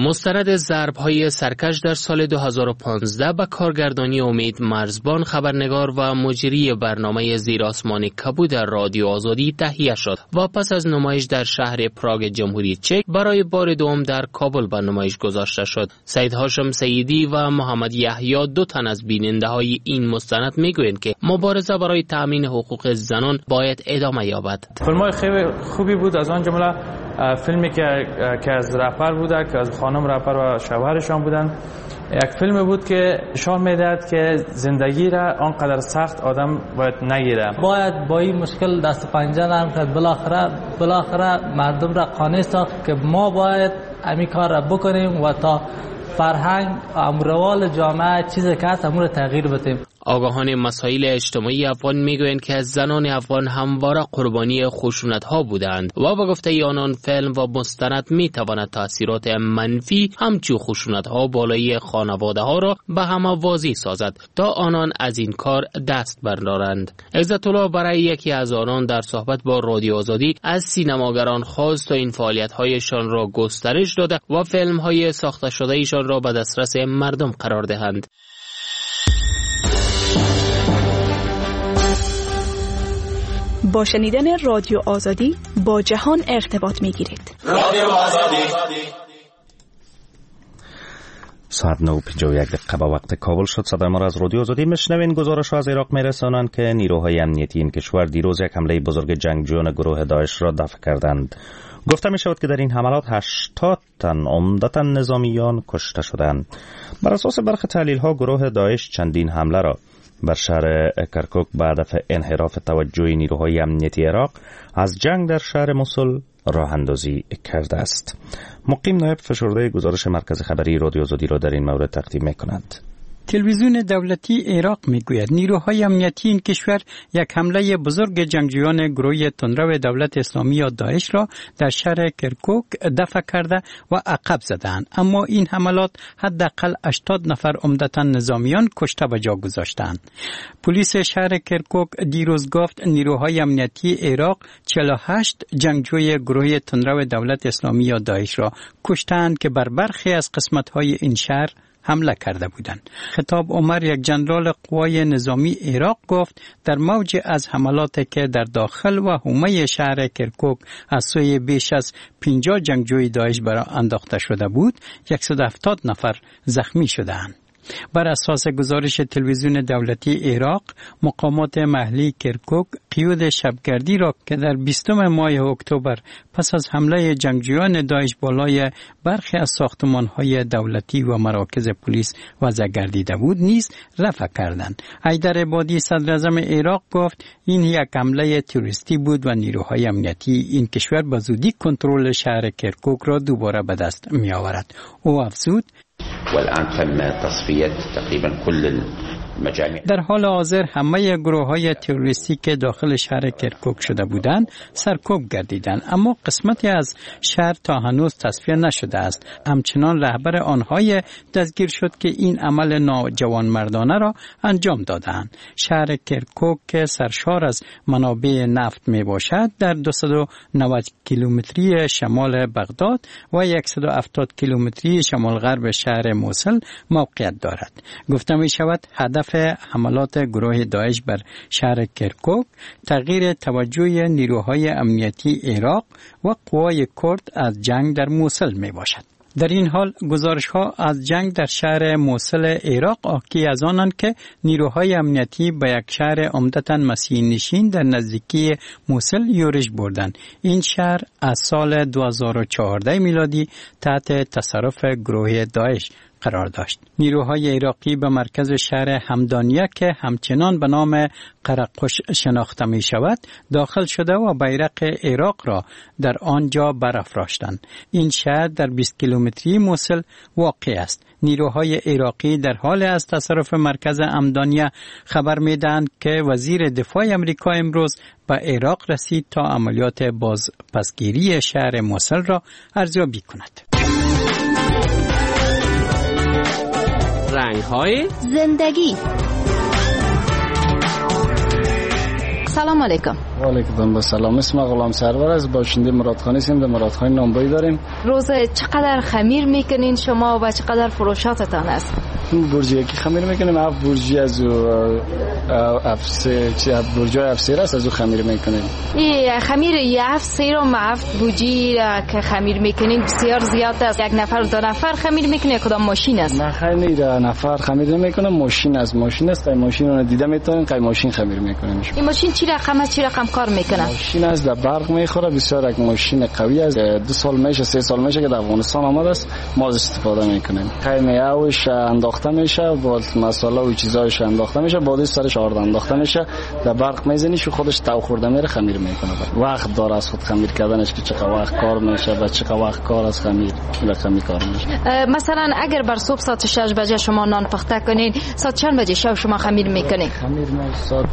مستند ضرب‌های سرکش در سال دو هزار و پانزده به کارگردانی امید مرزبان، خبرنگار و مجری برنامه زیر آسمان کبود در رادیو آزادی تهیه شد و پس از نمایش در شهر پراگ جمهوری چک برای بار دوم در کابل به نمایش گذاشته شد. سید هاشم سیدی و محمد یحیی دو تن از بیننده های این مستند میگویند که مبارزه برای تامین حقوق زنان باید ادامه یابد. فیلم‌های خیلی خوبی بود، از آن جمله فیلمی که که از رپر بوده، که از خانم رپر و شوهرشان بودن. یک فیلم بود که نشان میدهد که زندگی را آنقدر سخت آدم باید نگیره. باید با این مشکل دست پنجه نرم کرد. بالاخره بالاخره مردم را قانع ساخت که ما باید همین کار را بکنیم و تا فرهنگ امروال جامعه چیزی که هست امور تغییر بدیم. آگاهان مسائل اجتماعی افغان میگویند که زنان افغان همواره قربانی خشونت ها بودند و با گفته آنان فیلم و مستند میتواند تاثیرات منفی همچون خشونت ها بالای خانواده ها را به همه واضح سازد تا آنان از این کار دست بردارند. عزت الله برای یکی از آنان در صحبت با رادیو آزادی از سینماگران خواست تا این فعالیت هایشان را گسترش داده و فیلم های ساخته شده ایشان را به دسترس مردم قرار دهند. با شنیدن رادیو آزادی با جهان ارتباط میگیرید. رادیو آزادی. ساعت نه و پنجاه و یک دقیقه به وقت کابل شد. صدای ما را از رادیو آزادی میشنوین. گزارش از عراق میرسانند که نیروهای امنیتی این کشور دیروز یک حمله بزرگ جنگجویان گروه داعش را دفع کردند. گفته می شود که در این حملات هشتاد تن عمدتاً نظامیان کشته شدند. بر اساس برخی تحلیل ها گروه داعش چندین حمله را بر شهر کرکوک به هدف انحراف توجه نیروهای امنیتی عراق از جنگ در شهر موصل راه اندازی کرده است. مقیم نایب فشرده گزارش مرکز خبری رادیو آزادی را در این مورد تقدیم می‌کند. تلویزیون دولتی عراق میگوید نیروهای امنیتی این کشور یک حمله بزرگ جنگجویان گروه تندرو دولت اسلامی یا داعش را در شهر کرکوک دفع کرده و عقب زدند، اما این حملات حداقل هشتاد نفر عمدتا نظامیان کشته به جا گذاشتند. پلیس شهر کرکوک دیروز گفت نیروهای امنیتی عراق چهل و هشت جنگجوی گروه تندرو دولت اسلامی یا داعش را کشتند که بر برخی از قسمت‌های این شهر حمله کرده بودند. خطاب عمر، یک جنرال قوای نظامی عراق، گفت در موج از حملات که در داخل و حومه شهر کرکوک از سوی بیش از پنجاه جنگجوی داعش برای انداخته شده بود، صد و هفتاد نفر زخمی شدند. بر اساس گزارش تلویزیون دولتی عراق، مقامات محلی کرکوک قیود شبگردی را که در بیستم ماه اکتبر پس از حمله جنگجویان داعش بالای برخی از ساختمان‌های دولتی و مراکز پلیس وضع گردیده بود نیز رفع کردند. حیدر عبادی، صدراعظم عراق، گفت این یک حمله تروریستی بود و نیروهای امنیتی این کشور به زودی کنترل شهر کرکوک را دوباره به دست می‌آورد. او افزود: والآن تم تصفية تقريبا كل المجاميع. در حال حاضر همه گروه های تروریستی که داخل شهر کرکوک شده بودند سرکوب گردیدند، اما قسمتی از شهر تا هنوز تصفیه نشده است. همچنان رهبر آنهای دستگیر شد که این عمل ناجوانمردانه را انجام دادند. شهر کرکوک که سرشار از منابع نفت می باشد در دویست و نود کیلومتری شمال بغداد و صد و هفتاد کیلومتری شمال غرب شهر موصل موقعیت دارد. گفته می شود هدف حملات گروه داعش بر شهر کرکوک تغییر توجه نیروهای امنیتی عراق و قوای کرد از جنگ در موصل می باشد. در این حال گزارش ها از جنگ در شهر موصل عراق حاکی از آنند که نیروهای امنیتی به یک شهر عمدتاً مسیحی نشین در نزدیکی موصل یورش بردند. این شهر از سال دو هزار و چهارده میلادی تحت تصرف گروه داعش قرار داشت. نیروهای عراقی به مرکز شهر همدانیه که همچنان به نام قرقش شناخته می شود داخل شده و بیرق عراق را در آنجا برافراشتند. این شهر در بیست کیلومتری موصل واقع است. نیروهای عراقی در حال از تصرف مرکز همدانیه خبر می دهند که وزیر دفاع امریکا امروز به عراق رسید تا عملیات بازپسگیری شهر موصل را ارزیابی کند. رنگ های زندگی. سلام علیکم. و علیکم السلام. اسم غلام سرور است، باشنده مرادخانی هستیم. در مرادخانی نانبایی داریم. روز چقدر خمیر میکنین شما و چقدر فروشاتتان است؟ برجی یکی خمیر میکنیم، هفت برجی از هفت سه چی هفت برجی هفت سیر است، از او خمیر میکنیم. این خمیر یه هفت سیر و هفت برجی که خمیر میکنین بسیار زیاد است. یک نفر دو نفر خمیر میکنه کدام ماشین است؟ نه خیر، نفر خمیر نمیکنه، ماشین است. ماشین است، ماشین رو دیده میتونین، قای ماشین خمیر میکنیم. این ماشین چی رقم است؟ چی رقم کار میکنه؟ ماشین است در برق میخوره، بسیار یک ماشین قوی است. دو سال میشه، سه سال میشه که در افغانستان آمده است، ما از استفاده میکنیم. قیمه اوش انداخته میشه، با مساله و چیزایش انداخته میشه، بعد سرش آرد انداخته میشه، در برق میزنیش و خودش تو خورده میره، خمیر میکنه. وقت داره از خود خمیر کردنش که چقدر وقت کار میشه و چقدر وقت کار از خمیر رقمی کار میشه. مثلا اگر بر صبح ساعت شش بجه شما نان پخته کنین، ساعت چند بجه شب شما خمیر میکنین؟ خمیر ما ساعت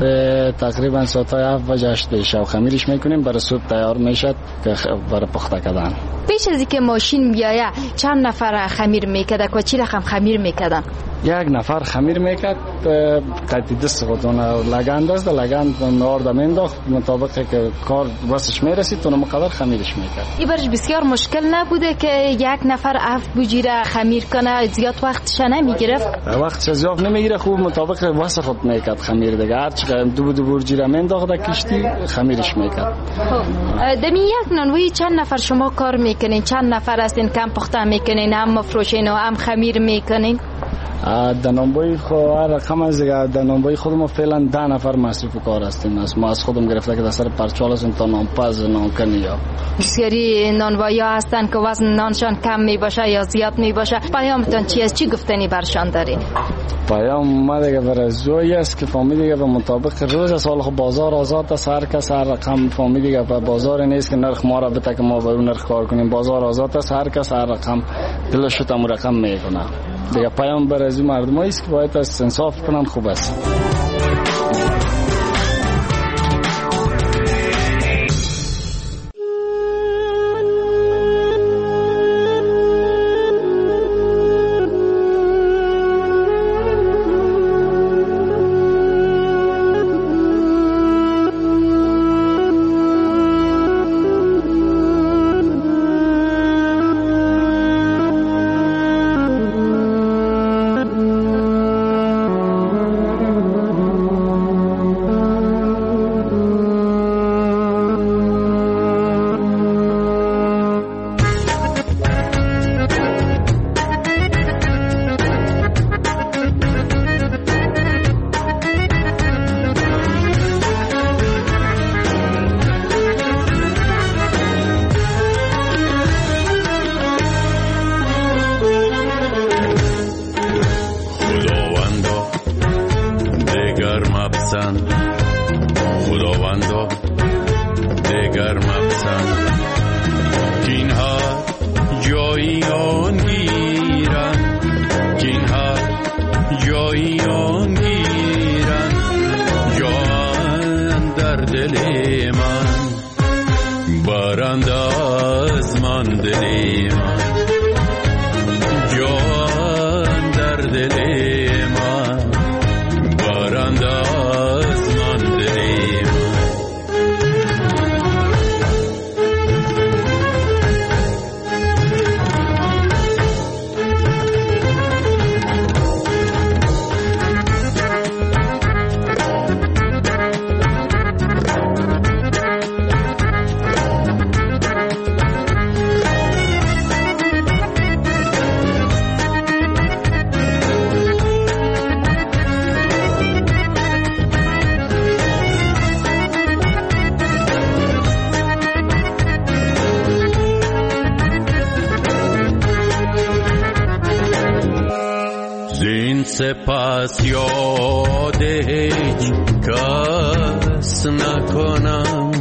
تقریبا ساعت هفت بجه هشت شب خمیرش میکنیم، برای صبح تیار میشه که برای پخته کردن. پیش از اینکه ماشین بیایه چند نفر خمیر میکرد و چی رقم خمیر میکردن؟ یک نفر خمیر میکرد، قطعی دست خودون لگند است، لگند آرد مینداخت مطابق که کار واسش میرسید اون مقدار خمیرش میکرد. این برش بسیار مشکل نبوده که یک نفر هفت بوجیره خمیر کنه؟ زیاد وقتش نمیگرفت؟ وقتش زیاد نمیگیره، خوب مطابق واسه خود میکرد خمیر دیگه. هر چقدر دو دو بورجیره مینداخت در کشتی خمیرش میکرد. خب دمی یک نانوی چند نفر شما کار میکنین؟ چند نفر هستین کم پخته میکنین، هم مفروشین و هم خمیر میکنین؟ در نانبایی خو هر رقم از دیگه. در نانبایی خود ما فعلا ده نفر مصروف کار هستیم. از ما از خودم گرفته که در سر پرچال هستیم تا نانپز نانکن. یا بسیاری نانوایی ها هستن که وزن نانشان کم می باشه یا زیاد می باشه. پیامتان چی است؟ چی گفتنی برشان دارین؟ پیام ما دیگه برای زوی است که فهمی دیگه به مطابق روز است. حالا خب بازار آزاد است، هر کس هر رقم فهمی دیگه، به بازار نیست که نرخ ما را بده که ما به اون نرخ کار کنیم. بازار آزاد است، هر کس هر رقم دلش شد امو رقم میکنه دیگه. پیام برای از مردم است که باید از انصاف کنن، خوب است. سپاس یاد هیچ کس نکنم،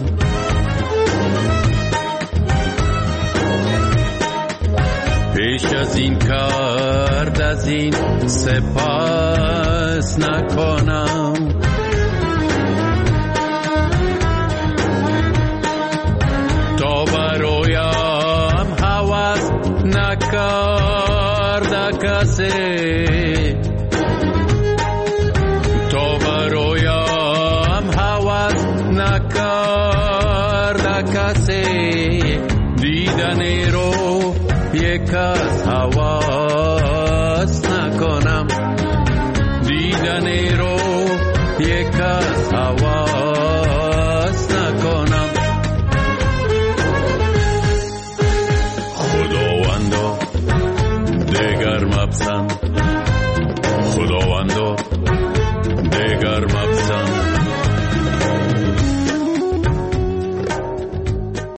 پیش از این کرد از این سپاس نکنم. تا برایم هوس نکرد کسی، تا برایم هوس نکرد کسی، دیدن رو یک از هوس نکنم، دیدن رو یک